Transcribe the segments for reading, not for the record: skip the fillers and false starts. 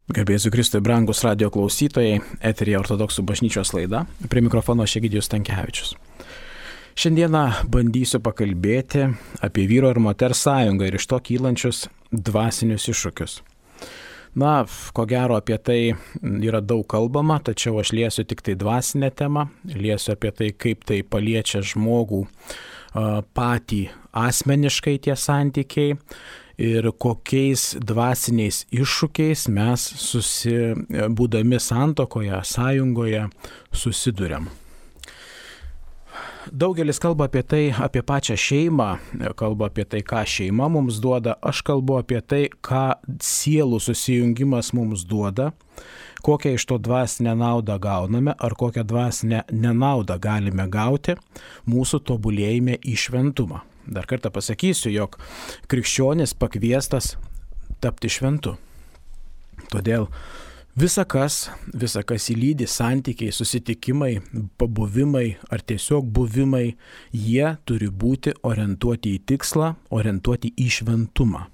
Garbėsiu Kristui, brangus radio klausytojai, eteryje Ortodoksų bažnyčios laida, prie mikrofono Egidijus Stankevičius. Šiandieną bandysiu pakalbėti apie vyro ir moters sąjungą ir iš to kylančius dvasinius iššūkius. Ko gero apie tai yra daug kalbama, tačiau aš liesiu tik tai dvasinę temą, liesiu apie tai, kaip tai paliečia žmogų patį asmeniškai tie santykiai ir kokiais dvasiniais iššūkiais mes būdami santuokoje, sąjungoje susiduriam. Daugelis kalba apie tai, apie pačią šeimą, kalba apie tai, ką šeima mums duoda, aš kalbu apie tai, ką sielų susijungimas mums duoda, kokią iš to dvasinę naudą gauname ar kokią dvasinę nenaudą galime gauti mūsų tobulėjime į šventumą. Dar kartą pasakysiu, jog krikščionis pakviestas tapti šventu. Todėl visa kas įlydi santykiai, susitikimai, pabuvimai ar tiesiog buvimai, jie turi būti orientuoti į tikslą, orientuoti į šventumą.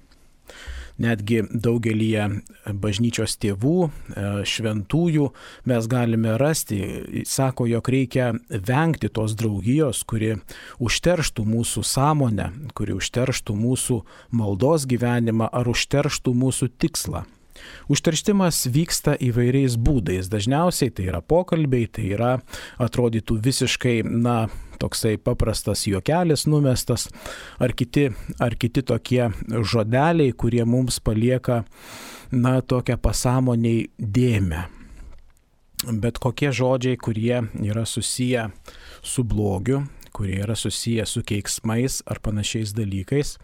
Netgi daugelyje bažnyčios tėvų, šventųjų mes galime rasti, sako, jog reikia vengti tos draugijos, kuri užterštų mūsų sąmonę, kuri užterštų mūsų maldos gyvenimą ar užterštų mūsų tikslą. Užterštimas vyksta įvairiais būdais. Dažniausiai tai yra pokalbiai, tai yra atrodytų visiškai, toksai paprastas juokelis numestas, ar kiti tokie žodeliai, kurie mums palieka, tokią pasąmoniai dėmę. Bet kokie žodžiai, kurie yra susiję su blogiu, kurie yra susiję su keiksmais ar panašiais dalykais,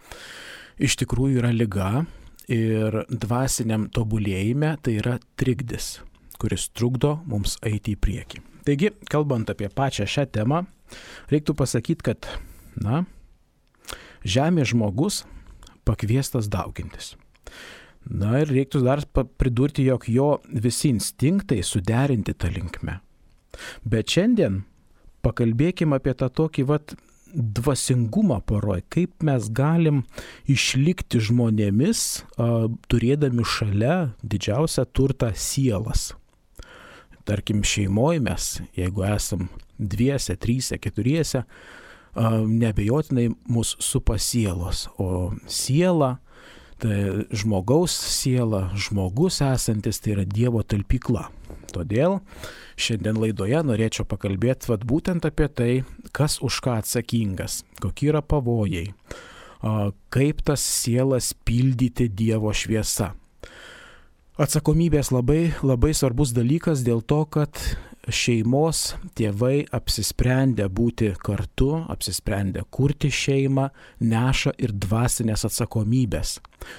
iš tikrųjų yra liga. Ir dvasiniam tobulėjime tai yra trikdis, kuris trukdo mums eiti į priekį. Taigi, kalbant apie pačią šią temą, reiktų pasakyti, kad, žemės žmogus pakviestas daugintis. Ir reiktų dar pridurti, jog jo visi instinktai suderinti tą linkmę. Bet šiandien pakalbėkime apie tą tokį dvasingumą poroj, kaip mes galim išlikti žmonėmis, turėdami šalia didžiausią turtą sielas. Tarkim, šeimoje mes, jeigu esam dviese, tryse, keturiese, neabejotinai mus supa sielos, o siela, tai žmogaus siela, žmogus esantis, tai yra Dievo talpykla. Todėl šiandien laidoje norėčiau pakalbėti būtent apie tai, kas už ką atsakingas, kokie yra pavojai, kaip tas sielas pildyti Dievo šviesa. Atsakomybės labai, labai svarbus dalykas dėl to, kad šeimos tėvai apsisprendę būti kartu, apsisprendę kurti šeimą, neša ir dvasinės atsakomybės,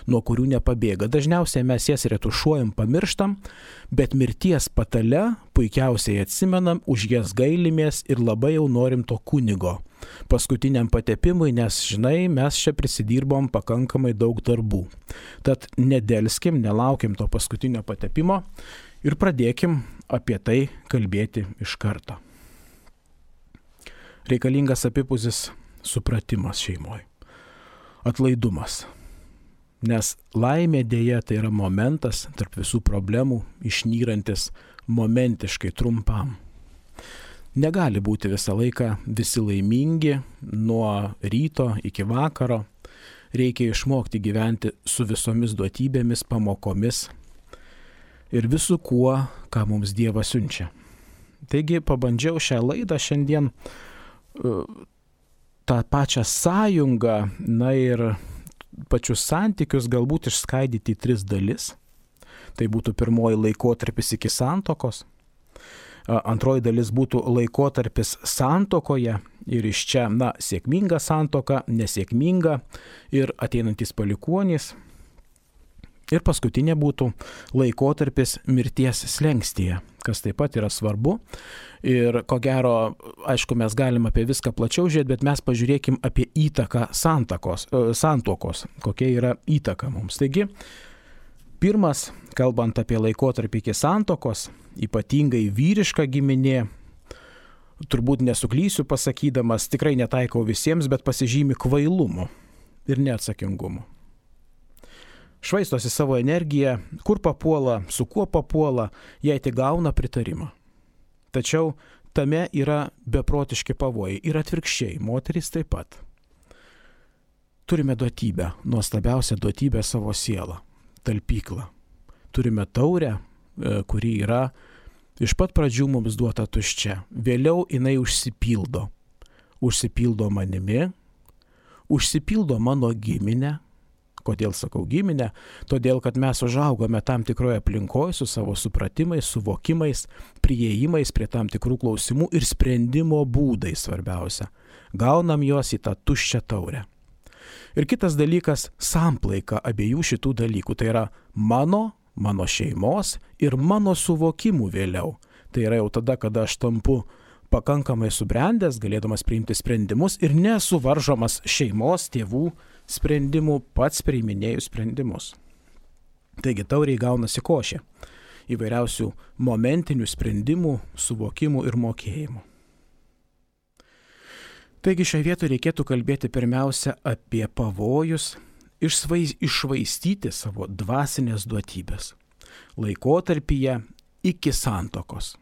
nuo kurių nepabėga. Dažniausiai mes jas retušuojam, pamirštam, bet mirties patale puikiausiai atsimenam, už jas gailimės ir labai jau norim to kunigo paskutiniam patepimui, nes, mes čia prisidirbom pakankamai daug darbų. Tad nedelskim, nelaukim to paskutinio patepimo ir pradėkim apie tai kalbėti iš karto. Reikalingas apipusis supratimas šeimoje, atlaidumas. Nes laimė dėja tai yra momentas tarp visų problemų, išnyrantis momentiškai trumpam. Negali būti visą laiką visi laimingi nuo ryto iki vakaro. Reikia išmokti gyventi su visomis duotybėmis, pamokomis ir visu kuo, ką mums Dievas siunčia. Taigi pabandžiau šią laidą šiandien tą pačią sąjungą, ir pačius santykius galbūt išskaidyti į 3 dalis. Tai būtų pirmoji laikotarpis iki santuokos, antroji dalis būtų laikotarpis santuokoje ir iš čia, sėkminga santuoka, nesėkminga ir ateinantys palikuonys. Ir paskutinė būtų laikotarpis mirties slengstyje, kas taip pat yra svarbu. Ir ko gero, aišku, mes galim apie viską plačiau žiūrėti, bet mes pažiūrėkim apie įtaką santuokos, kokia yra įtaka mums. Taigi, pirmas, kalbant apie laikotarpį iki santuokos, ypatingai vyriška giminė, turbūt nesuklysiu pasakydamas, tikrai netaikau visiems, bet pasižymi kvailumu ir neatsakingumu. švaistosi savo energiją, kur papuola, su kuo papuola, jei tik gauna pritarimą. Tačiau tame yra beprotiški pavojai ir atvirkščiai, moterys taip pat. Turime duotybę, nuostabiausią duotybę savo sielą, talpyklą. Turime taurę, kuri yra iš pat pradžių mums duota tuščia. Vėliau jinai užsipildo. Užsipildo manimi, užsipildo mano giminę. Kodėl sakau giminę? Todėl, kad mes užaugome tam tikroje aplinkoje su savo supratimais, suvokimais, priėjimais prie tam tikrų klausimų ir sprendimo būdai svarbiausia. Gaunam juos į tą tuščią taurę. Ir kitas dalykas - samplaika abiejų šitų dalykų. Tai yra mano šeimos ir mano suvokimų vėliau. Tai yra jau tada, kada aš tampu pakankamai subrendęs, galėdamas priimti sprendimus ir nesuvaržomas šeimos, tėvų sprendimų, pats priiminėjų sprendimus. Taigi tauriai gaunasi košė įvairiausių momentinių sprendimų, suvokimų ir mokėjimų. Taigi šioje vietoje reikėtų kalbėti pirmiausia apie pavojus iššvaistyti savo dvasinės duotybės laikotarpyje iki santuokos.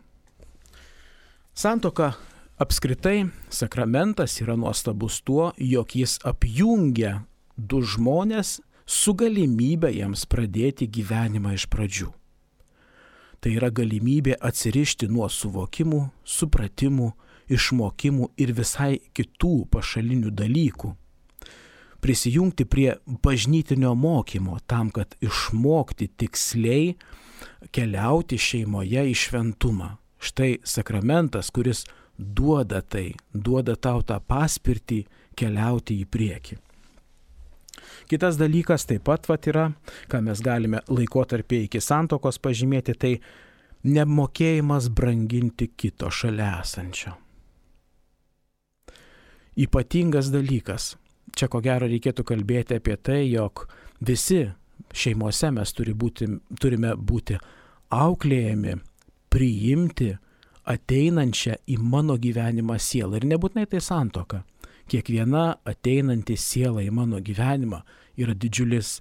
Santuoka apskritai, sakramentas yra nuostabus tuo, jog jis apjungia du žmonės su galimybė jiems pradėti gyvenimą iš pradžių. Tai yra galimybė atsirišti nuo suvokimų, supratimų, išmokimų ir visai kitų pašalinių dalykų. Prisijungti prie bažnytinio mokymo tam, kad išmokti tiksliai keliauti šeimoje į šventumą. Štai sakramentas, kuris duoda tau tą paspirtį keliauti į priekį. Kitas dalykas taip pat yra, ką mes galime laikotarpį iki santuokos pažymėti, tai nemokėjimas branginti kito šalia esančio. Ypatingas dalykas. Čia ko gero reikėtų kalbėti apie tai, jog visi šeimose mes turime būti auklėjami, priimti ateinančią į mano gyvenimą sielą. Ir nebūtinai tai santuoka. Kiekviena ateinanti siela į mano gyvenimą yra didžiulis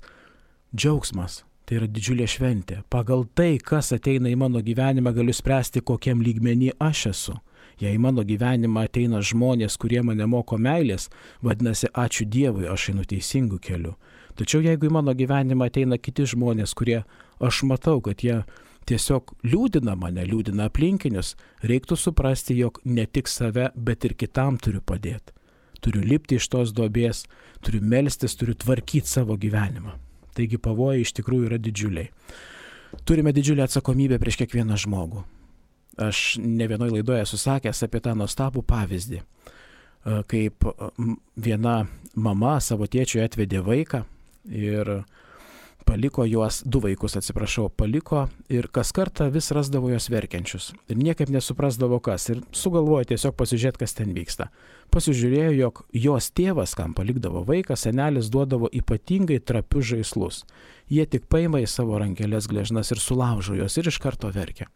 džiaugsmas, tai yra didžiulė šventė. Pagal tai, kas ateina į mano gyvenimą, galiu spręsti, kokiam lygmenį aš esu. Jei į mano gyvenimą ateina žmonės, kurie mane moko meilės, vadinasi, ačiū Dievui, aš einu teisingu keliu. Tačiau jeigu į mano gyvenimą ateina kiti žmonės, kurie aš matau, kad jie tiesiog liūdina mane, liūdina aplinkinius, reiktų suprasti, jog ne tik save, bet ir kitam turiu padėti. Turiu lipti iš tos duobės, turiu melstis, turiu tvarkyti savo gyvenimą. Taigi pavojai iš tikrųjų yra didžiuliai. Turime didžiulę atsakomybę prieš kiekvieną žmogų. Aš ne vienoje laidoje esu sakęs apie tą nuostabų pavyzdį, kaip viena mama savo tėčiui atvedė vaiką ir paliko juos, du vaikus paliko ir kas kartą vis rasdavo juos verkiančius. Ir niekaip nesuprasdavo kas. Ir sugalvojo tiesiog pasižiūrėti, kas ten vyksta. Pasižiūrėjo, jog jos tėvas, kam palikdavo vaiką, senelis duodavo ypatingai trapius žaislus. Jie tik paima į savo rankelės gležnas ir sulaužo juos ir iš karto verkia.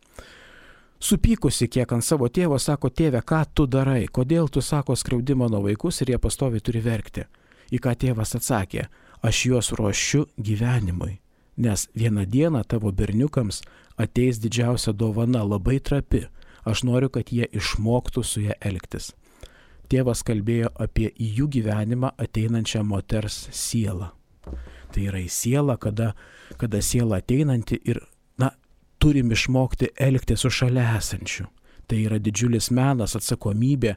Supykusi kiek ant savo tėvo, sako, tėve, ką tu darai? Kodėl tu, sako, skriaudi mano vaikus ir jie pastoviai turi verkti? Į ką tėvas atsakė, aš juos ruošiu gyvenimui, nes vieną dieną tavo berniukams ateis didžiausia dovana, labai trapi. Aš noriu, kad jie išmoktų su ją elgtis. Tėvas kalbėjo apie į jų gyvenimą ateinančią moters sielą. Tai yra į sielą, kada siela ateinanti ir turim išmokti elgti su šalia esančiu. Tai yra didžiulis menas, atsakomybė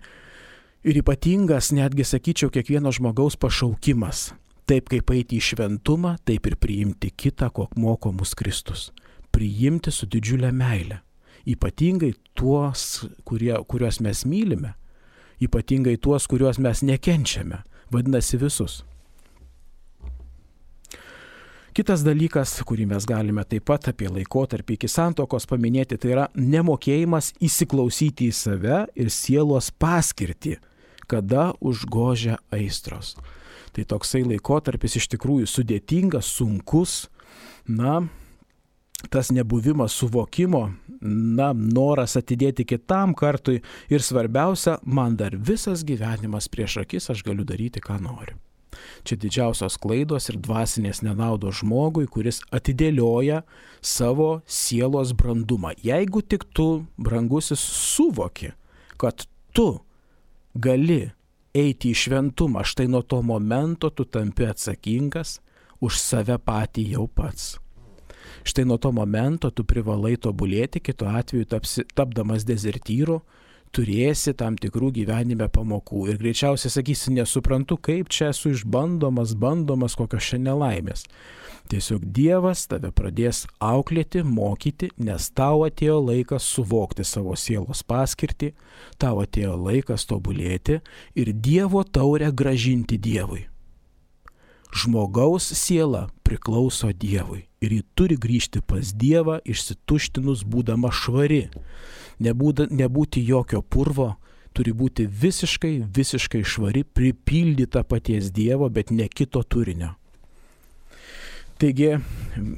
ir ypatingas, netgi sakyčiau, kiekvieno žmogaus pašaukimas. Taip kaip eiti į šventumą, taip ir priimti kitą, ko moko mus Kristus. Priimti su didžiulė meile. Ypatingai tuos, kuriuos mes mylime. Ypatingai tuos, kuriuos mes nekenčiame. Vadinasi visus. Kitas dalykas, kurį mes galime taip pat apie laikotarpį iki santuokos paminėti, tai yra nemokėjimas įsiklausyti į save ir sielos paskirtį, kada užgožia aistros. Tai toksai laikotarpis iš tikrųjų sudėtingas, sunkus, tas nebuvimas suvokimo, noras atidėti kitam kartui ir svarbiausia, man dar visas gyvenimas prieš akis, aš galiu daryti, ką noriu. Čia didžiausios klaidos ir dvasinės nenaudos žmogui, kuris atidėlioja savo sielos brandumą. Jeigu tik tu, brangusis, suvoki, kad tu gali eiti į šventumą, štai nuo to momento tu tampi atsakingas už save patį jau pats. Štai nuo to momento tu privalai tobulėti, kitu atveju tapdamas dezertyru, turėsi tam tikrų gyvenime pamokų ir greičiausiai sakysi, nesuprantu, kaip čia esu bandomas kokios čia nelaimės. Tiesiog Dievas tave pradės auklėti, mokyti, nes tau atėjo laikas suvokti savo sielos paskirtį, tau atėjo laikas tobulėti ir Dievo taurę grąžinti Dievui. Žmogaus siela priklauso Dievui ir ji turi grįžti pas Dievą išsituštinus būdama švari. Nebūti jokio purvo, turi būti visiškai švari, pripildyta paties Dievo, bet ne kito turinio. Taigi,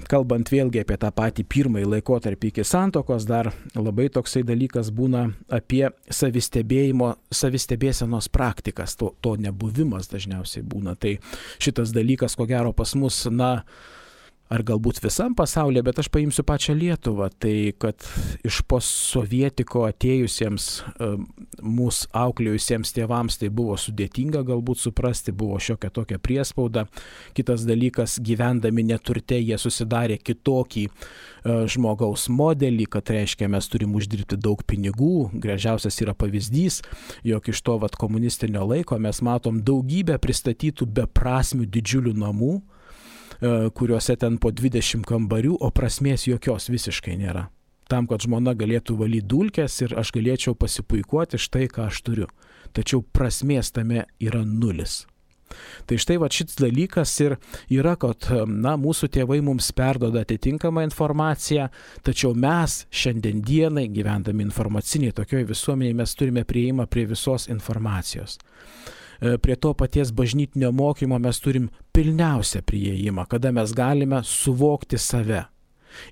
kalbant vėlgi apie tą patį pirmąjį laikotarpį iki santuokos, dar labai toksai dalykas būna apie savistebėsenos praktikas, to nebuvimas dažniausiai būna. Tai šitas dalykas, ko gero, pas mus, ar galbūt visam pasaulyje, bet aš paimsiu pačią Lietuvą, tai kad iš postsovietiko atėjusiems, mūsų auklėjusiems tėvams tai buvo sudėtinga galbūt suprasti, buvo šiokia tokia priespauda. Kitas dalykas, gyvendami neturte, jie susidarė kitokį žmogaus modelį, kad reiškia, mes turim uždirbti daug pinigų. Gražiausias yra pavyzdys, jog iš to komunistinio laiko mes matom daugybę pristatytų beprasmių didžiulių namų, kuriuose ten po 20 kambarių, o prasmės jokios visiškai nėra. Tam, kad žmona galėtų valyti dulkes ir aš galėčiau pasipuikuoti štai, ką aš turiu. Tačiau prasmės tame yra nulis. Tai štai šis dalykas ir yra, kad mūsų tėvai mums perduoda atitinkamą informaciją, tačiau mes šiandien dienai, gyvendami informaciniai tokioje visuomenėje, mes turime prieimą prie visos informacijos. Prie to paties bažnytinio mokymo mes turim pilniausią prieėjimą, kada mes galime suvokti save.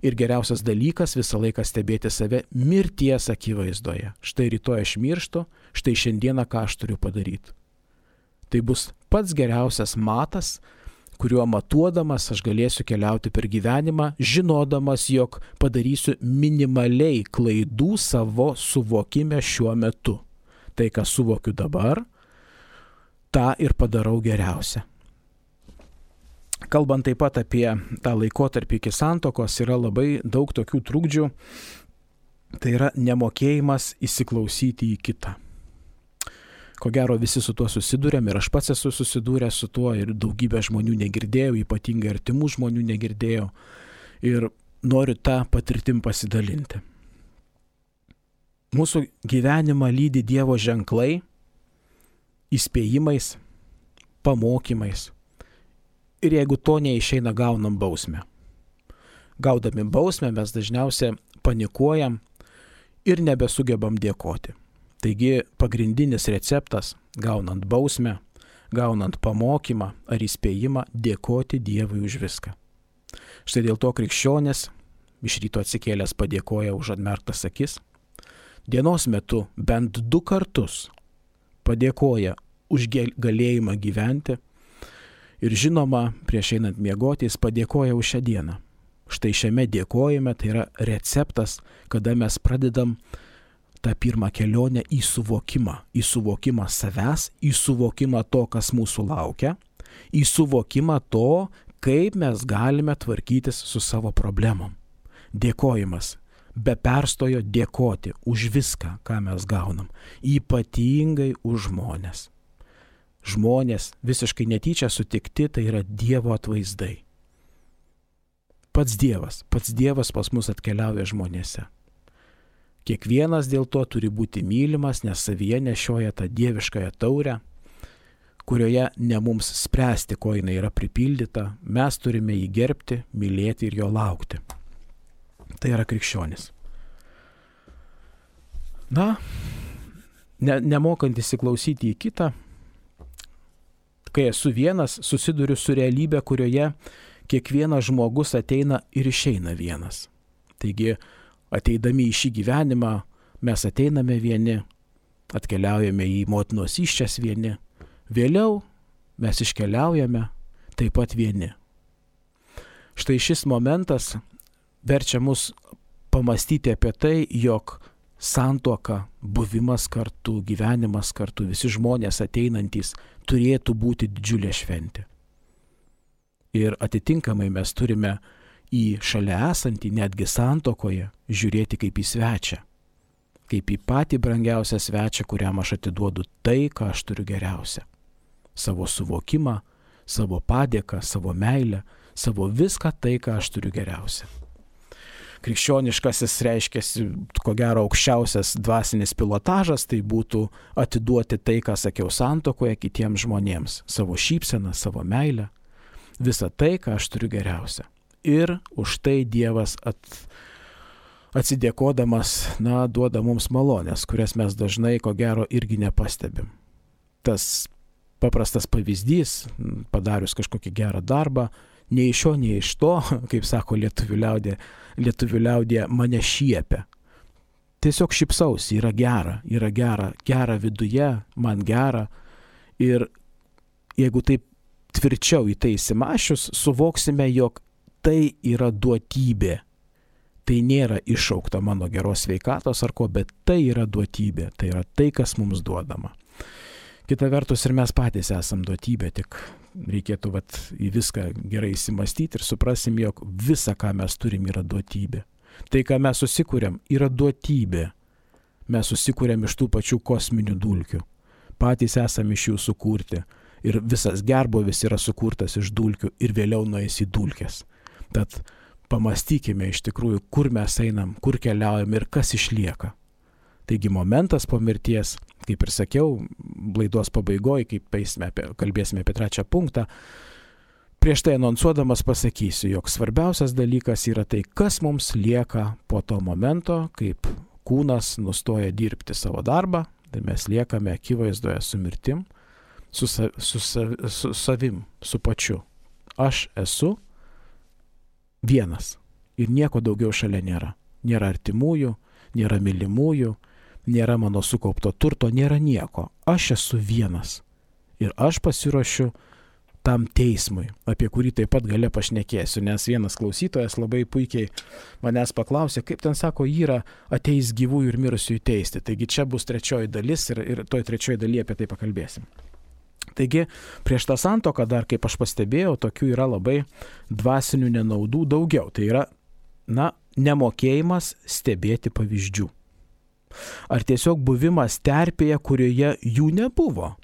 Ir geriausias dalykas visą laiką stebėti save mirties akivaizdoje. Štai rytoj aš mirštu, štai šiandieną ką aš turiu padaryti. Tai bus pats geriausias matas, kuriuo matuodamas aš galėsiu keliauti per gyvenimą, žinodamas, jog padarysiu minimaliai klaidų savo suvokime šiuo metu. Tai, ką suvokiu dabar, tą ir padarau geriausia. Kalbant taip pat apie tą laikotarpį iki santuokos, yra labai daug tokių trukdžių, tai yra nemokėjimas įsiklausyti į kitą. Ko gero visi su tuo susidūrėm ir aš pats esu susidūręs su tuo ir daugybę žmonių negirdėjau, ypatingai artimų žmonių negirdėjau ir noriu tą patirtim pasidalinti. Mūsų gyvenimą lydi Dievo ženklai, įspėjimais, pamokymais. Ir jeigu to neišeina, gaunam bausmę. Gaudami bausmę mes dažniausiai panikuojam ir nebesugebam dėkoti. Taigi pagrindinis receptas, gaunant bausmę, gaunant pamokymą ar įspėjimą, dėkoti Dievui už viską. Štai dėl to krikščionis iš ryto atsikėlęs padėkoja už atmerktas akis. Dienos metu bent 2 kartus padėkoja už galėjimą gyventi ir žinoma, prieš einant miegoti, jis padėkoja už šią dieną. Štai šiame dėkojime tai yra receptas, kada mes pradedam tą pirmą kelionę į suvokimą savęs, į suvokimą to, kas mūsų laukia, į suvokimą to, kaip mes galime tvarkytis su savo problemom. Dėkojimas. Be perstojo dėkoti už viską, ką mes gaunam, ypatingai už žmonės. Žmonės visiškai netyčia sutikti, tai yra Dievo atvaizdai. Pats Dievas pas mus atkeliauja žmonėse. Kiekvienas dėl to turi būti mylimas, nes savyje nešioja tą dieviškąją taurę, kurioje ne mums spręsti, ko jinai yra pripildyta, mes turime jį gerbti, mylėti ir jo laukti. Tai yra krikščionis. Nemokant įsiklausyti į kitą, kai esu vienas, susiduriu su realybė, kurioje kiekvienas žmogus ateina ir išeina vienas. Taigi, ateidami į šį gyvenimą, mes ateiname vieni, atkeliaujame į motinos įsčias vieni, vėliau mes iškeliaujame taip pat vieni. Štai šis momentas verčia mus pamastyti apie tai, jog santuoka, buvimas kartu, gyvenimas kartu, visi žmonės ateinantys turėtų būti didžiulė šventė. Ir atitinkamai mes turime į šalia esantį, netgi santuokoje, žiūrėti kaip į svečią. Kaip į patį brangiausią svečią, kuriam aš atiduodu tai, ką aš turiu geriausia. Savo suvokimą, savo padėką, savo meilę, savo viską tai, ką aš turiu geriausia. Krikščioniškasis reiškiasi, ko gero, aukščiausias dvasinis pilotažas, tai būtų atiduoti tai, ką sakiau santuokoje, kitiems žmonėms. Savo šypseną, savo meilę, visą tai, ką aš turiu geriausia. Ir už tai Dievas atsidėkodamas, duoda mums malonės, kurias mes dažnai, ko gero, irgi nepastebim. Tas paprastas pavyzdys, padarius kažkokį gerą darbą, nei iš šio, nei iš to, kaip sako lietuvių liaudė, mane šiepia. Tiesiog šypsausi, yra gera viduje, man gera. Ir jeigu taip tvirčiau į tai įsimašius, suvoksime, jog tai yra duotybė. Tai nėra iššaukta mano geros sveikatos ar ko, bet tai yra duotybė. Tai yra tai, kas mums duodama. Kita vertus ir mes patys esam duotybė, tik reikėtų į viską gerai įsimastyti ir suprasim, jog visa, ką mes turim, yra duotybė. Tai, ką mes susikūrėm, yra duotybė. Mes susikūrėm iš tų pačių kosminių dulkių. Patys esame iš jų sukurti. Ir visas gerbuvis yra sukurtas iš dulkių ir vėliau nueis į dulkes. Tad pamastykime iš tikrųjų, kur mes einam, kur keliaujam ir kas išlieka. Taigi momentas po mirties, kaip ir sakiau, laidos pabaigoje, kaip kalbėsime apie 3 punktą, prieš tai anonsuodamas pasakysiu, jog svarbiausias dalykas yra tai, kas mums lieka po to momento, kaip kūnas nustoja dirbti savo darbą, tai mes liekame akivaizdoje su mirtim, su savim, su pačiu. Aš esu vienas ir nieko daugiau šalia nėra. Nėra artimųjų, nėra mylimųjų, nėra mano sukaupto turto, nėra nieko. Aš esu vienas ir aš pasiruošiu tam teismui, apie kurį taip pat gale pašnekėsiu, nes vienas klausytojas labai puikiai manęs paklausė, kaip ten sako, yra ateis gyvųjų ir mirusiųjų teisti. Taigi čia bus 3 dalis ir toj 3 dalyje apie tai pakalbėsim. Taigi, prieš tą santuoką dar, kaip aš pastebėjau, tokių yra labai dvasinių nenaudų daugiau. Tai yra, nemokėjimas stebėti pavyzdžių. Ar tiesiog buvimas terpėje, kurioje jų nebuvo.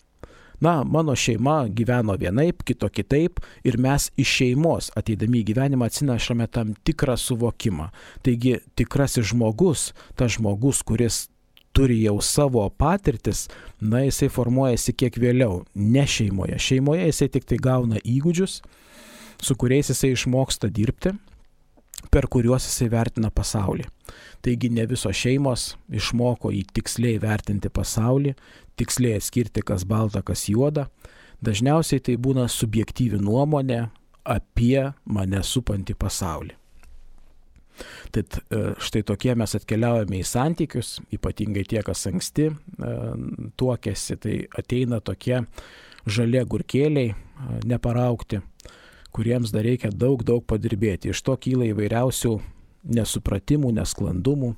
Mano šeima gyveno vienaip, kito kitaip ir mes iš šeimos ateidami į gyvenimą atsinešame tam tikrą suvokimą. Taigi, tikrasis žmogus, tas žmogus, kuris turi jau savo patirtis, jisai formuojasi kiek vėliau, ne šeimoje. Šeimoje jisai tik tai gauna įgūdžius, su kuriais jisai išmoksta dirbti, per kuriuos jisai vertina pasaulį. Taigi ne visos šeimos išmoko į tiksliai vertinti pasaulį, tiksliai atskirti, kas balta, kas juoda. Dažniausiai tai būna subjektyvi nuomonė apie mane supantį pasaulį. Tad štai tokie mes atkeliaujame į santykius, ypatingai tie, kas anksti tuokėsi, tai ateina tokie žalie agurkėliai, neparaugti, kuriems dar reikia daug padirbėti. Iš to kyla įvairiausių nesupratimų, nesklandumų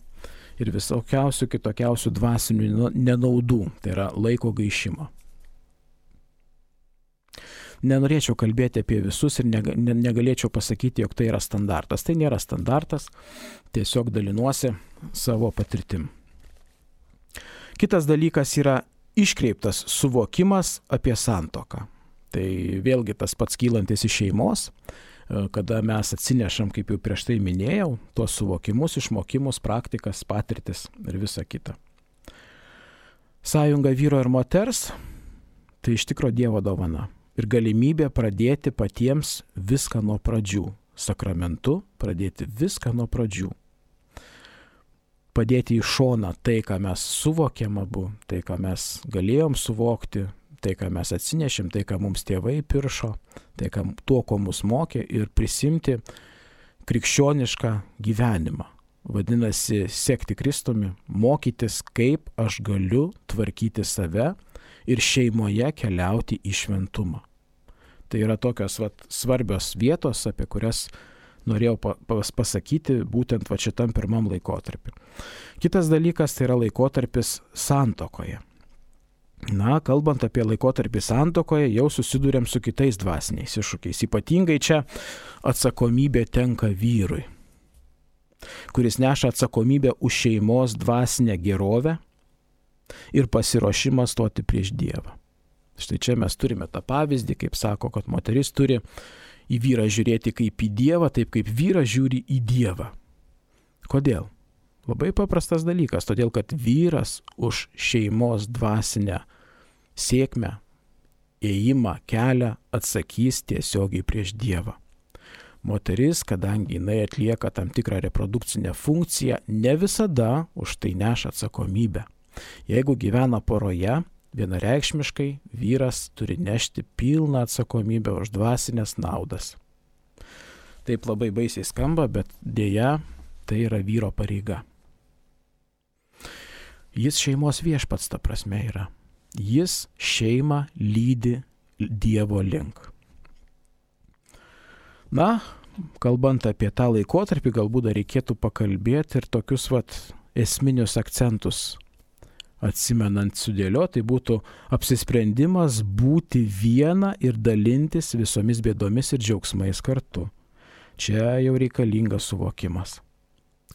ir visokiausių kitokiausių dvasinių nenaudų, tai yra laiko gaišimo. Nenorėčiau kalbėti apie visus ir negalėčiau pasakyti, jog tai yra standartas. Tai nėra standartas, tiesiog dalinuosi savo patirtim. Kitas dalykas yra iškreiptas suvokimas apie santuoką. Tai vėlgi tas pats kylantis iš šeimos, kada mes atsinešam, kaip jau prieš tai minėjau, tuos suvokimus, išmokimus, praktikas, patirtis ir visa kita. Sąjunga vyro ir moters – tai iš tikro Dievo dovana. Ir galimybė pradėti patiems viską nuo pradžių. Sakramentu pradėti viską nuo pradžių. Padėti į šoną tai, ką mes suvokėm abu, tai, ką mes galėjom suvokti, tai, ką mes atsinešėm, tai, ką mums tėvai piršo, tai, tuo, ko mus mokė ir prisimti krikščionišką gyvenimą. Vadinasi, sekti Kristumi, mokytis, kaip aš galiu tvarkyti save ir šeimoje keliauti į šventumą. Tai yra tokios svarbios vietos, apie kurias norėjau pasakyti būtent šitam pirmam laikotarpiu. Kitas dalykas tai yra laikotarpis santuokoje. Kalbant apie laikotarpį santuokoje, jau susidurėm su kitais dvasiniais iššūkiais. Ypatingai čia atsakomybė tenka vyrui, kuris neša atsakomybę už šeimos dvasinę gerovę ir pasiruošimą stoti prieš Dievą. Štai čia mes turime tą pavyzdį, kaip sako, kad moteris turi į vyrą žiūrėti kaip į Dievą, taip kaip vyras žiūri į Dievą. Kodėl? Labai paprastas dalykas, todėl kad vyras už šeimos dvasinę sėkmę, ėjimą, kelią atsakys tiesiogiai prieš Dievą. Moteris, kadangi jinai atlieka tam tikrą reprodukcinę funkciją, ne visada už tai neša atsakomybę. Jeigu gyvena poroje, vienareikšmiškai vyras turi nešti pilną atsakomybę už dvasinės naudas. Taip labai baisiai skamba, bet dėja tai yra vyro pareiga. Jis šeimos viešpats ta prasme yra. Jis šeimą lydi Dievo link. Kalbant apie tą laikotarpį, galbūt dar reikėtų pakalbėti ir tokius esminius akcentus atsimenant sudėlioti, tai būtų apsisprendimas būti viena ir dalintis visomis bėdomis ir džiaugsmais kartu. Čia jau reikalingas suvokimas,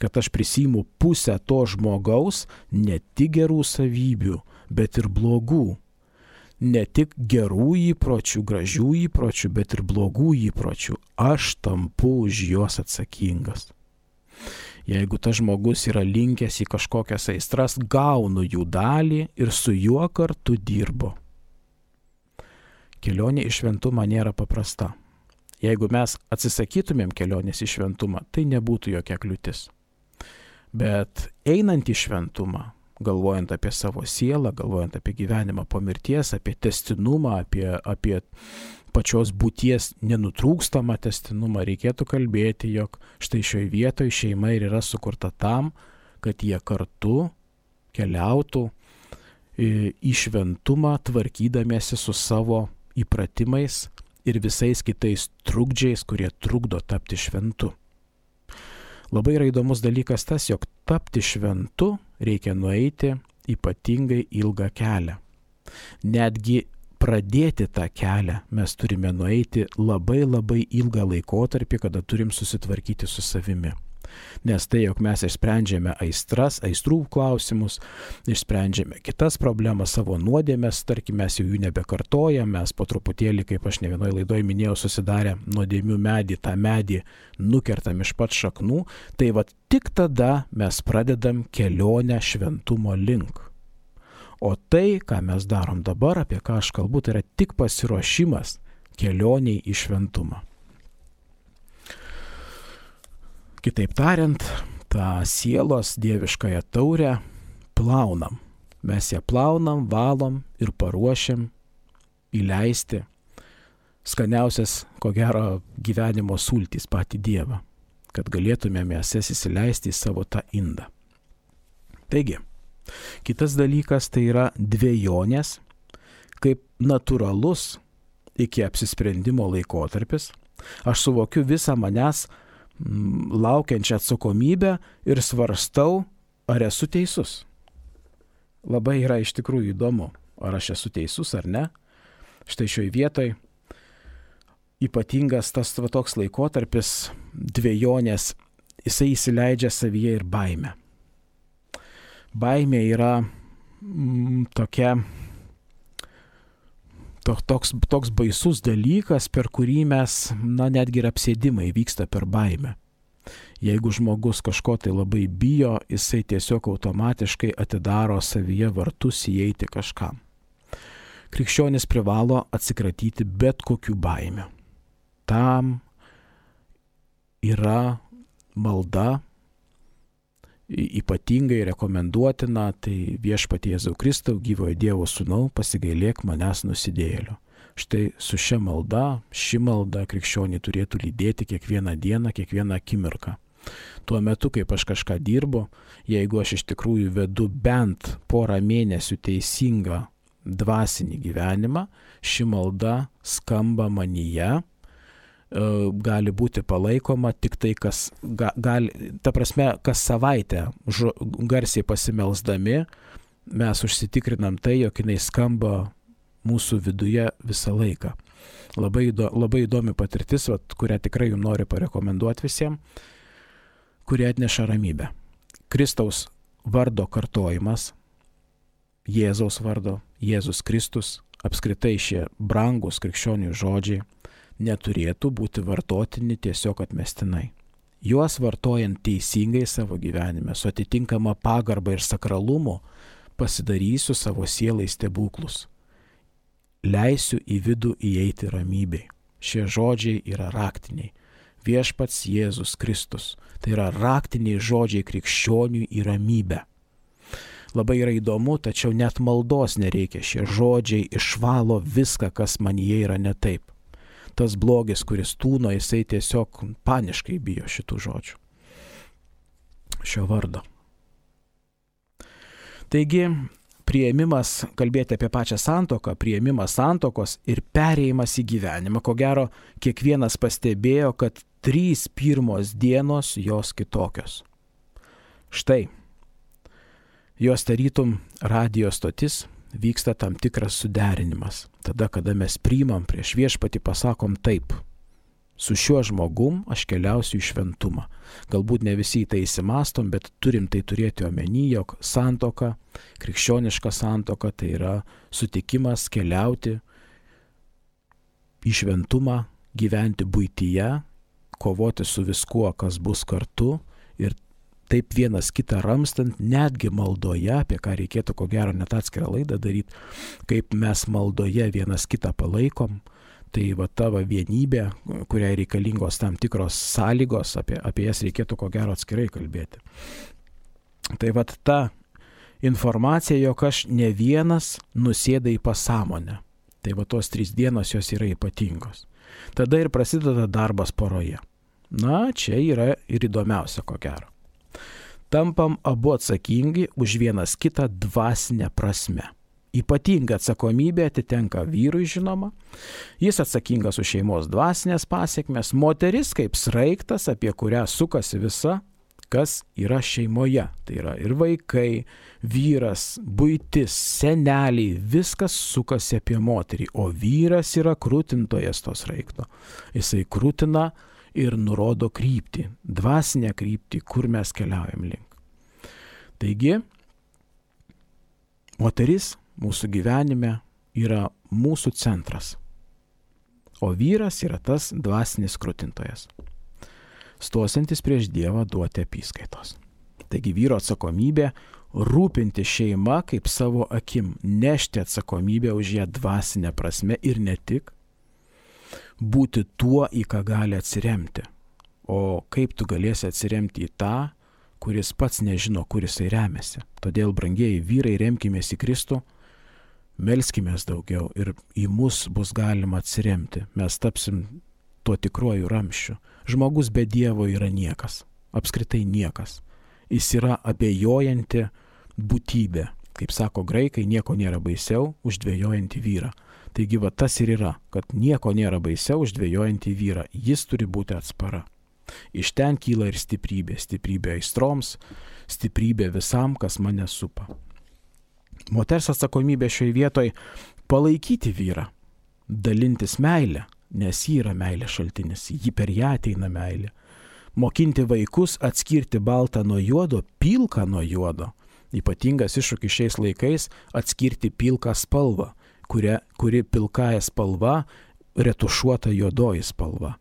kad aš prisiimu pusę to žmogaus ne tik gerų savybių, bet ir blogų. Ne tik gerų įpročių, gražių įpročių, bet ir blogų įpročių. Aš tampu už juos atsakingas. Jeigu tas žmogus yra linkęs į kažkokias aistras, gaunu jų dalį ir su juo kartu dirbu. Kelionė į šventumą nėra paprasta. Jeigu mes atsisakytumėm kelionės į šventumą, tai nebūtų jokia kliūtis. Bet einant į šventumą, galvojant apie savo sielą, galvojant apie gyvenimą po mirties, apie testinumą, apie pačios būties nenutrūkstamą testinumą, reikėtų kalbėti, jog štai šioje vietoje šeima ir yra sukurta tam, kad jie kartu keliautų į šventumą, tvarkydamiesi su savo įpratimais ir visais kitais trukdžiais, kurie trukdo tapti šventu. Labai yra įdomus dalykas tas, jog tapti šventu reikia nueiti ypatingai ilgą kelią. Netgi pradėti tą kelią mes turime nueiti labai ilgą laikotarpį, kada turim susitvarkyti su savimi. Nes tai, jog mes išsprendžiame aistrų klausimus, išsprendžiame kitas problemas, savo nuodėmes, tarkim, mes jau jų nebekartojam, mes po truputėlį, kaip aš ne vienoje laidoje minėjau, susidarę nuodėmių medį, tą medį nukertam iš pat šaknų, tai tik tada mes pradedam kelionę šventumo link. O tai, ką mes darom dabar, apie ką aš kalbu, tai yra tik pasiruošimas kelioniai į šventumą. Kitaip tariant, tą sielos dieviškąją taurę plaunam. Mes ją plaunam, valom ir paruošiam įleisti skaniausias, ko gero, gyvenimo sultys patį Dievą, kad galėtumėm jas įsileisti į savo tą indą. Taigi, kitas dalykas tai yra dvejonės, kaip natūralus iki apsisprendimo laikotarpis. Aš suvokiu visą manęs laukiančią atsakomybę ir svarstau, ar esu teisus. Labai yra iš tikrųjų įdomu, ar aš esu teisus ar ne. Štai šioje vietoje ypatingas tas toks laikotarpis dvejonės, jisai įsileidžia savyje ir baimę. Baimė yra toks baisus dalykas, per kurį mes, netgi ir apsėdimai vyksta per baimę. Jeigu žmogus kažko tai labai bijo, jisai tiesiog automatiškai atidaro savyje vartus įeiti kažkam. Krikščionis privalo atsikratyti bet kokių baimių. Tam yra malda, ypatingai rekomenduotina, tai Viešpatie Jėzau Kristau, gyvojo Dievo Sūnau, pasigailėk manęs nusidėjėlio. Štai su šia malda, ši malda krikščionį turėtų lydėti kiekvieną dieną, kiekvieną akimirką. Tuo metu, kaip aš kažką dirbu, jeigu aš iš tikrųjų vedu bent porą mėnesių teisingą dvasinį gyvenimą, ši malda skamba manyje, gali būti palaikoma tik tai, kas kas savaitę garsiai pasimelsdami, mes užsitikrinam tai, jog jinai skamba mūsų viduje visą laiką. Labai įdomi patirtis, kurią tikrai jums noriu parekomenduoti visiems, kurie atneša ramybę. Kristaus vardo kartojimas, Jėzaus vardo, Jėzus Kristus, apskritai šie brangus krikščionių žodžiai neturėtų būti vartotini tiesiog atmestinai. Juos vartojant teisingai savo gyvenime, su atitinkama pagarba ir sakralumu, pasidarysiu savo sielai stebuklus. Leisiu į vidų įeiti ramybei. Šie žodžiai yra raktiniai. Viešpats Jėzus Kristus. Tai yra raktiniai žodžiai krikščionių į ramybę. Labai yra įdomu, tačiau net maldos nereikia. Šie žodžiai išvalo viską, kas manyje yra ne taip. Tas blogis, kuris tūno, jisai tiesiog paniškai bijo šitų žodžių. Šio vardo. Taigi, priėmimas, kalbėti apie pačią santuoką, priėmimas santuokos ir perėjimas į gyvenimą. Ko gero, kiekvienas pastebėjo, kad 3 pirmos dienos jos kitokios. Štai, jos tarytum radijo stotis, vyksta tam tikras suderinimas. Tada, kada mes priimam prieš viešpatį, pasakom taip. Su šiuo žmogum aš keliausiu į šventumą. Galbūt ne visi į tai įsimastom, bet turim tai turėti omeny, jog santuoka, krikščioniška santuoka, tai yra sutikimas keliauti į šventumą, gyventi buityje, kovoti su viskuo, kas bus kartu ir taip vienas kitą ramstant, netgi maldoje, apie ką reikėtų ko gero net atskirą laidą daryti, kaip mes maldoje vienas kitą palaikom, tai tavo vienybė, kuriai reikalingos tam tikros sąlygos, apie jas reikėtų ko gero atskirai kalbėti. Tai ta informacija, jog aš ne vienas nusėda į pasąmonę. Tai tos 3 dienos jos yra ypatingos. Tada ir prasideda darbas poroje. Na, čia yra ir įdomiausia ko gero. Tampam abu atsakingi už vienas kitą dvasinę prasme. Ypatinga atsakomybė atitenka vyrui, žinoma. Jis atsakingas už šeimos dvasinės pasiekmes, moteris kaip sraigtas, apie kurią sukasi visa, kas yra šeimoje. Tai yra ir vaikai, vyras, buitis, seneliai, viskas sukasi apie moterį, o vyras yra krūtintojas to sraigto. Jisai krūtina ir nurodo kryptį, dvasinę kryptį, kur mes keliaujam link. Taigi, moteris mūsų gyvenime yra mūsų centras, o vyras yra tas dvasinis krūtintojas, stosiantis prieš Dievą duoti apyskaitos. Taigi vyro atsakomybė rūpinti šeimą kaip savo akim, nešti atsakomybę už ją dvasinę prasme ir ne tik, būti tuo, į ką gali atsiremti. O kaip tu galėsi atsiremti į tą, kuris pats nežino, kur jisai remiasi. Todėl, brangieji vyrai, remkimės į Kristų, melskimės daugiau ir į mus bus galima atsiremti. Mes tapsim tuo tikruoju ramščiu. Žmogus be Dievo yra niekas, apskritai niekas. Jis yra abejojanti būtybė. Kaip sako graikai, nieko nėra baisiau už dvejojantį vyrą. Taigi tas ir yra, kad nieko nėra baisiau už dvejojantį vyrą. Jis turi būti atspara. Iš ten kyla ir stiprybė. Stiprybė aistroms, stiprybė visam, kas mane supa. Moters atsakomybė šioje vietoje palaikyti vyrą, dalintis meilę, nes ji yra meilės šaltinis, ji per ją ateina meilė. Mokinti vaikus atskirti baltą nuo juodo, pilką nuo juodo. Ypatingas iššūkis šiais laikais atskirti pilką spalvą, kuri pilkąja spalva retušuota juodoji spalva.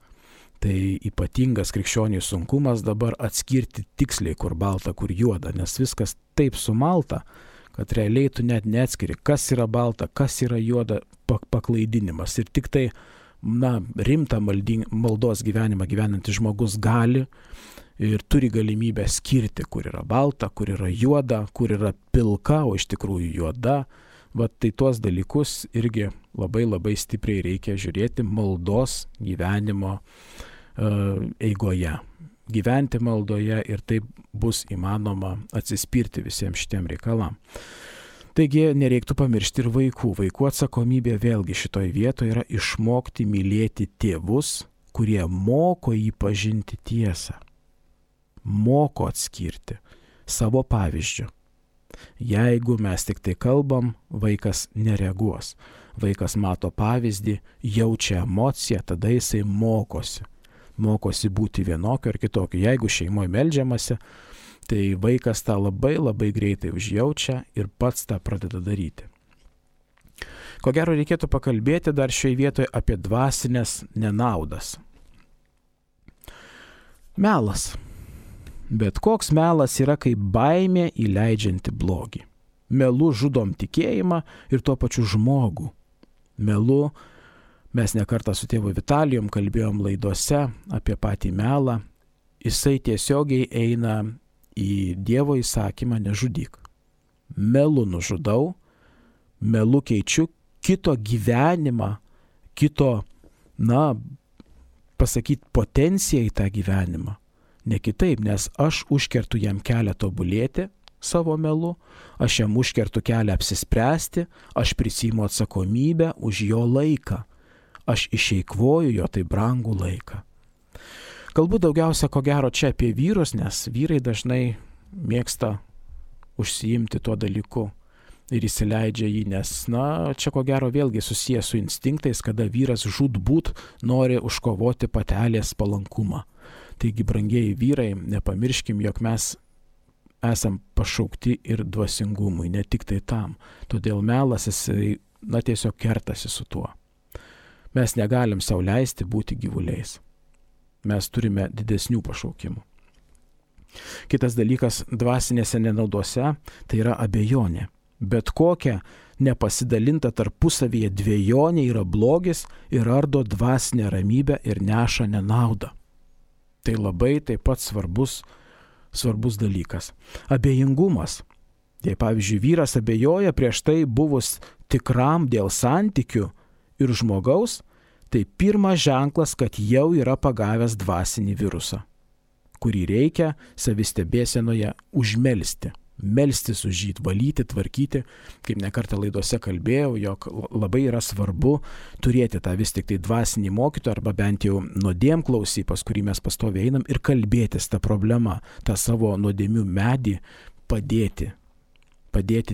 Tai ypatingas krikščionių sunkumas dabar atskirti tiksliai, kur balta, kur juoda, nes viskas taip sumalta, kad realiai tu net neatskiri, kas yra balta, kas yra juoda, paklaidinimas. Ir tik tai rimtą maldos gyvenimą gyvenantis žmogus gali ir turi galimybę skirti, kur yra balta, kur yra juoda, kur yra pilka, o iš tikrųjų juoda. Tai tuos dalykus irgi labai stipriai reikia žiūrėti maldos gyvenimo eigoje. Gyventi maldoje ir taip bus įmanoma atsispirti visiems šitiem reikalam. Taigi nereiktų pamiršti ir vaikų. Vaikų atsakomybė vėlgi šitoje vietoje yra išmokti mylėti tėvus, kurie moko jį pažinti tiesą, moko atskirti savo pavyzdžių. Jeigu mes tik tai kalbam, vaikas nereaguos. Vaikas mato pavyzdį, jaučia emociją, tada jisai mokosi. Mokosi būti vienokio ar kitokio. Jeigu šeimoje meldžiamasi, tai vaikas tą labai labai greitai užjaučia ir pats tą pradeda daryti. Ko gero reikėtų pakalbėti dar šioje vietoje apie dvasinės nenaudas. Melas. Bet koks melas yra kaip baimė įleidžianti blogį. Melu žudom tikėjimą ir tuo pačiu žmogų. Melu, mes nekartą su tėvu Vitalijum kalbėjom laidose apie patį melą, jisai tiesiogiai eina į Dievo įsakymą nežudyk. Melu nužudau, melu keičiu kito gyvenimą, kito, potenciją į tą gyvenimą. Ne kitaip, nes aš užkertu jam kelią tobulėti savo melu, aš jam užkertu kelią apsispręsti, aš prisiimu atsakomybę už jo laiką, aš išeikvoju jo tai brangų laiką. Kalbu daugiausia ko gero čia apie vyrus, nes vyrai dažnai mėgsta užsiimti tuo dalyku ir įsileidžia jį, nes, čia ko gero vėlgi susijęs su instinktais, kada vyras žūtbūt nori užkovoti patelės palankumą. Taigi, brangieji vyrai, nepamirškim, jog mes esam pašaukti ir dvasingumui, ne tik tai tam. Todėl melas jisai, tiesiog kertasi su tuo. Mes negalim sau leisti būti gyvuliais. Mes turime didesnių pašaukimų. Kitas dalykas dvasinėse nenaudose tai yra abejonė. Bet kokia nepasidalinta tarpusavyje dvejonė yra blogis ir ardo dvasinę ramybę ir neša nenaudą. Tai labai taip pat svarbus dalykas. Abejingumas. Jei pavyzdžiui vyras abejoja prieš tai buvus tikram dėl santykių ir žmogaus, tai pirmas ženklas, kad jau yra pagavęs dvasinį virusą, kurį reikia savistebėsenoje užmelsti. Melstis už jį, valyti, tvarkyti, kaip nekartą laidose kalbėjau, jog labai yra svarbu turėti tą vis tik tai dvasinį mokytoją arba bent jau nuodėmklausį, pas kurį mes pastoviai einam ir kalbėtis tą problemą, tą savo nuodėmių medį padėti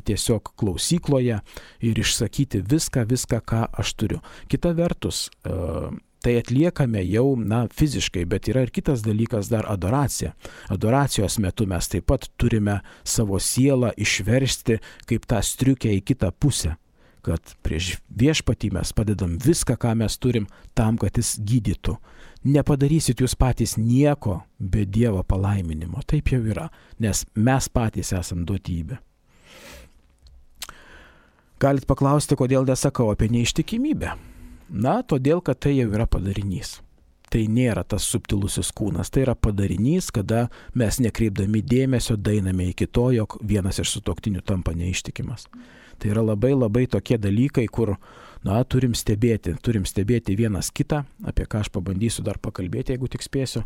tiesiog klausykloje ir išsakyti viską, ką aš turiu. Kita vertus, tai atliekame jau, fiziškai, bet yra ir kitas dalykas dar adoracija. Adoracijos metu mes taip pat turime savo sielą išversti kaip tą striukę į kitą pusę, kad prieš viešpatį mes padedam viską, ką mes turim, tam, kad jis gydytų. Nepadarysit jūs patys nieko be Dievo palaiminimo. Taip jau yra, nes mes patys esam duotybė. Galit paklausti, kodėl nesakau apie neištikimybę. Todėl, kad tai jau yra padarinys. Tai nėra tas subtilusis kūnas, tai yra padarinys, kada mes nekreipdami dėmesio daeiname iki to, jog vienas iš sutuoktinių tampa neištikimas. Tai yra labai labai tokie dalykai, kur, turim stebėti vienas kitą, apie ką aš pabandysiu dar pakalbėti, jeigu tik spėsiu.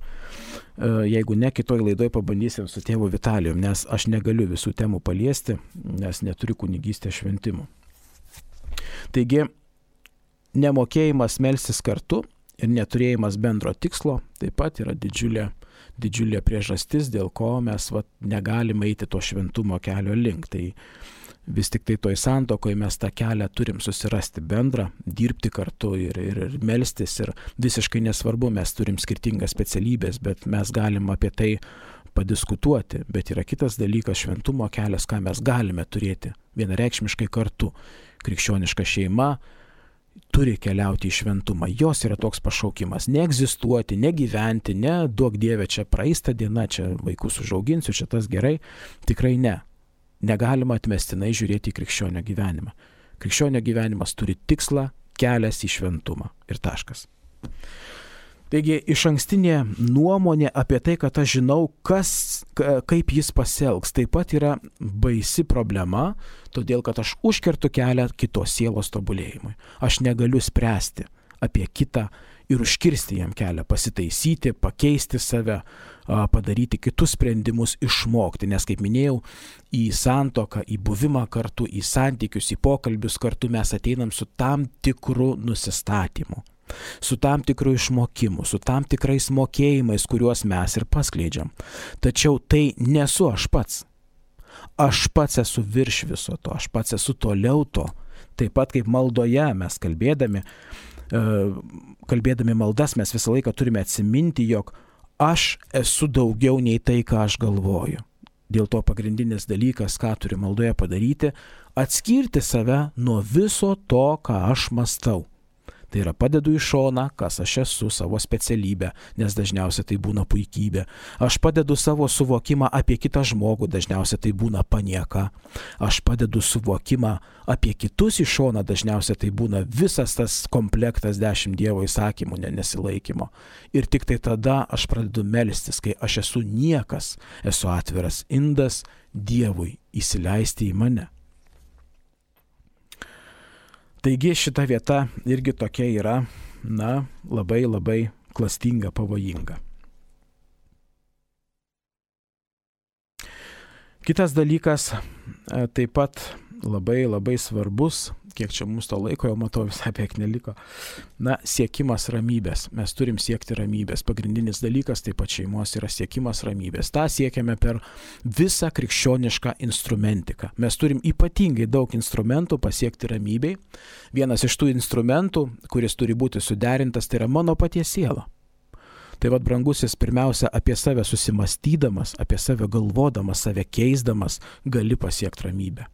Jeigu ne, kitoj laidoj pabandysim su tėvu Vitalijum, nes aš negaliu visų temų paliesti, nes neturiu kunigystės šventimų. Taigi, nemokėjimas melstis kartu ir neturėjimas bendro tikslo taip pat yra didžiulė priežastis, dėl ko mes negalime eiti to šventumo kelio link. Tai vis tik tai toj santuokoje mes tą kelią turim susirasti bendrą, dirbti kartu ir melstis. Ir visiškai nesvarbu, mes turim skirtingas specialybės, bet mes galim apie tai padiskutuoti. Bet yra kitas dalykas, šventumo kelias, ką mes galime turėti vienareikšmiškai kartu. Krikščioniška šeima turi keliauti į šventumą. Jos yra toks pašaukimas. Neegzistuoti, negyventi, ne duok Dieve, čia praeista diena, čia vaikus užauginsiu, čia tas gerai. Tikrai ne. Negalima atmestinai žiūrėti į krikščionio gyvenimą. Krikščionio gyvenimas turi tikslą, kelias į šventumą. Ir taškas. Taigi, išankstinė nuomonė apie tai, kad aš žinau, kaip jis pasielgs, taip pat yra baisi problema, todėl kad aš užkertu kelią kitos sielos tobulėjimui. Aš negaliu spręsti apie kitą ir užkirsti jam kelią, pasitaisyti, pakeisti save, padaryti kitus sprendimus, išmokti. Nes, kaip minėjau, į santuoką, į buvimą kartu, į santykius, į pokalbius kartu mes ateinam su tam tikru nusistatymu, su tam tikru išmokimu, su tam tikrais mokėjimais, kuriuos mes ir paskleidžiam. Tačiau tai nesu aš pats. Aš pats esu virš viso to, aš pats esu toliau to. Taip pat kaip maldoje mes kalbėdami maldas mes visą laiką turime atsiminti, jog aš esu daugiau nei tai, ką aš galvoju. Dėl to pagrindinis dalykas, ką turi maldoje padaryti, atskirti save nuo viso to, ką aš mąstau. Tai yra padedu į šoną, kas aš esu, savo specialybę, nes dažniausiai tai būna puikybė. Aš padedu savo suvokimą apie kitą žmogų, dažniausiai tai būna panieka. Aš padedu suvokimą apie kitus į šoną, dažniausiai tai būna visas tas komplektas 10 Dievo įsakymų nesilaikymo. Ir tik tai tada aš pradedu melstis, kai aš esu niekas, esu atviras indas Dievui įsileisti į mane. Taigi šita vieta irgi tokia yra, labai labai klastinga, pavojinga. Kitas dalykas, taip pat labai labai svarbus, kiek čia mums to laiko, jau matau visai beveik neliko, siekimas ramybės. Mes turim siekti ramybės. Pagrindinis dalykas taip pat šeimos yra siekimas ramybės. Ta siekiame per visą krikščionišką instrumentiką. Mes turim ypatingai daug instrumentų pasiekti ramybei. Vienas iš tų instrumentų, kuris turi būti suderintas, tai yra mano paties siela. Tai vat, brangusis, pirmiausia, apie save susimastydamas, apie save galvodamas, save keisdamas, gali pasiekti ramybę.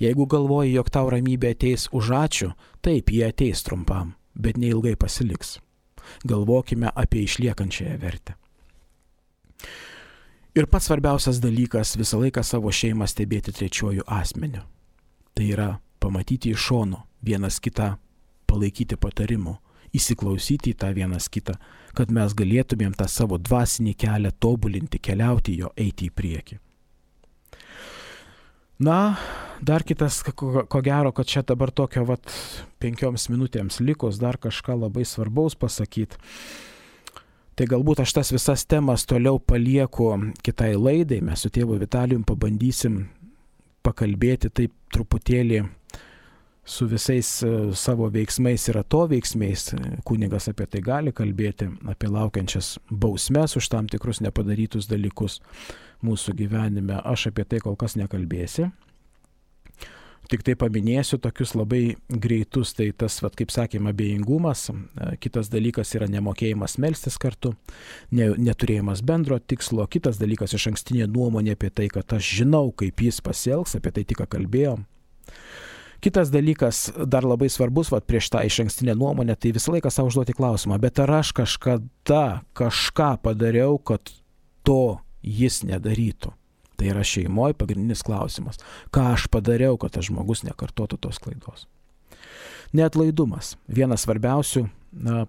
Jeigu galvoji, jog tau ramybė ateis už ačiū, taip, jie ateis trumpam, bet neilgai pasiliks. Galvokime apie išliekančiąją vertę. Ir pats svarbiausias dalykas - visą laiką savo šeimą stebėti trečiuoju asmeniu. Tai yra pamatyti iš šono, vienas kitą palaikyti patarimu, įsiklausyti į tą vienas kitą, kad mes galėtumėm tą savo dvasinį kelią tobulinti, keliauti jo, eiti į priekį. Dar kitas, ko gero, kad čia dabar tokio 5 minutėms likus dar kažką labai svarbaus pasakyti. Tai galbūt aš tas visas temas toliau palieku kitai laidai. Mes su tėvu Vitalijum pabandysim pakalbėti taip truputėlį su visais savo veiksmais ir atoveiksmiais. Kunigas apie tai gali kalbėti, apie laukiančias bausmes už tam tikrus nepadarytus dalykus mūsų gyvenime. Aš apie tai kol kas nekalbėsiu. Tik tai paminėsiu tokius labai greitus, tai tas, kaip sakėme, abejingumas. Kitas dalykas yra nemokėjimas melstis kartu, neturėjimas bendro tikslo. Kitas dalykas iš ankstinė nuomonė apie tai, kad aš žinau, kaip jis pasielgs, apie tai tik kalbėjom. Kitas dalykas, dar labai svarbus, prieš tą iš ankstinę nuomonę, tai visą laiką savo užduoti klausimą, bet ar aš kažkada kažką padariau, kad to jis nedarytų? Tai yra šeimoje pagrindinis klausimas. Ką aš padariau, kad tas žmogus nekartotų tos klaidos? Neatlaidumas. Vienas svarbiausių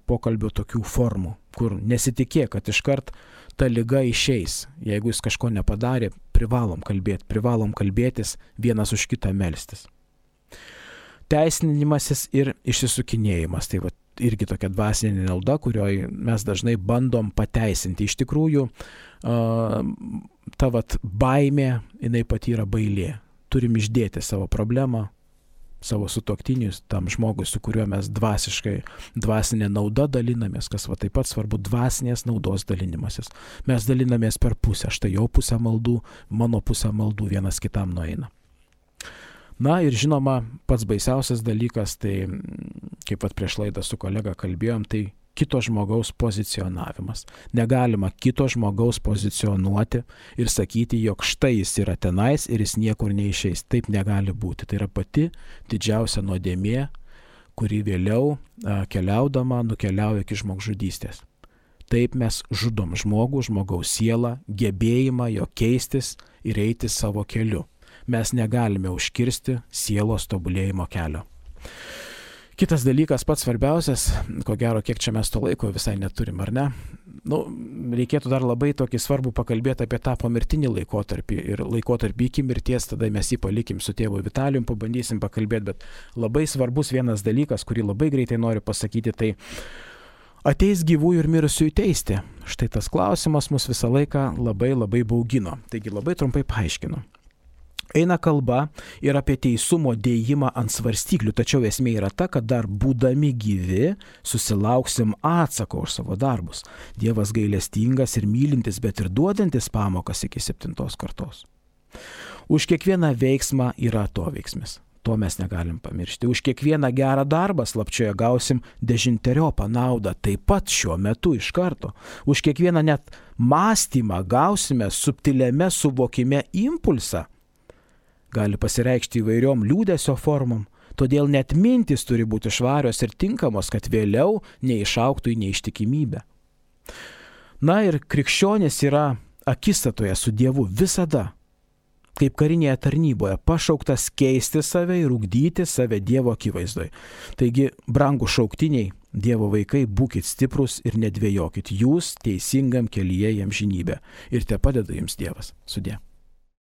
pokalbio tokių formų, kur nesitikėk, kad iškart ta liga išeis. Jeigu jis kažko nepadarė, privalom kalbėtis, vienas už kitą melstis. Teisinimasis ir išsisukinėjimas. Tai irgi tokia dvasinė nauda, kurioje mes dažnai bandom pateisinti. Iš tikrųjų, ta baimė, jinai pati yra bailė. Turim išdėti savo problemą, savo sutuoktinius, tam žmogui, su kuriuo mes dvasinė nauda dalinamės, kas taip pat svarbu, dvasinės naudos dalinimasis. Mes dalinamės per pusę, štai jo pusę maldų, mano pusę maldų vienas kitam nueina. Ir žinoma, pats baisiausias dalykas, tai kaip prieš laidą su kolega kalbėjom, tai kito žmogaus pozicionavimas. Negalima kito žmogaus pozicionuoti ir sakyti, jog štai jis yra tenais ir jis niekur neišeis. Taip negali būti. Tai yra pati didžiausia nuodėmė, kuri vėliau keliaudama nukeliauja iki žmogžudystės. Taip mes žudom žmogų, žmogaus sielą, gebėjimą jo keistis ir eiti savo keliu. Mes negalime užkirsti sielos tobulėjimo kelio. Kitas dalykas, pats svarbiausias, ko gero, kiek čia mes to laiko visai neturim, ar ne? Reikėtų dar labai tokį svarbų pakalbėti apie tą pomirtinį laikotarpį ir laikotarpį iki mirties, tada mes jį palikim su tėvu Vitalijum, pabandysim pakalbėti, bet labai svarbus vienas dalykas, kurį labai greitai noriu pasakyti, tai Ateis gyvųjų ir mirusiųjų teisti. Štai tas klausimas mus visą laiką labai baugino. Taigi labai trumpai paaiškinu. Eina kalba ir apie teisumo dėjimą ant svarstyklių, tačiau esmė yra ta, kad dar būdami gyvi susilauksim atsako už savo darbus. Dievas gailestingas ir mylintis, bet ir duodantis pamokas iki 7 kartos. Už kiekvieną veiksmą yra atoveiksmis. To mes negalim pamiršti. Už kiekvieną gerą darbą slapčioje gausim 10-eriopą naudą, taip pat šiuo metu iš karto. Už kiekvieną net mąstymą gausime subtiliame suvokime impulsą. Gali pasireikšti įvairiom liūdesio formom, todėl net mintis turi būti švarios ir tinkamos, kad vėliau neišaugtų į neištikimybę. Na ir krikščionis yra akistatoje su Dievu visada, kaip karinėje tarnyboje, pašauktas keisti save ir ugdyti save Dievo akivaizdoje. Taigi, brangūs šauktiniai, Dievo vaikai, būkit stiprus ir nedvejokit, jūs teisingam kelyje į amžinybę. Ir tepadeda jums Dievas. Sudie.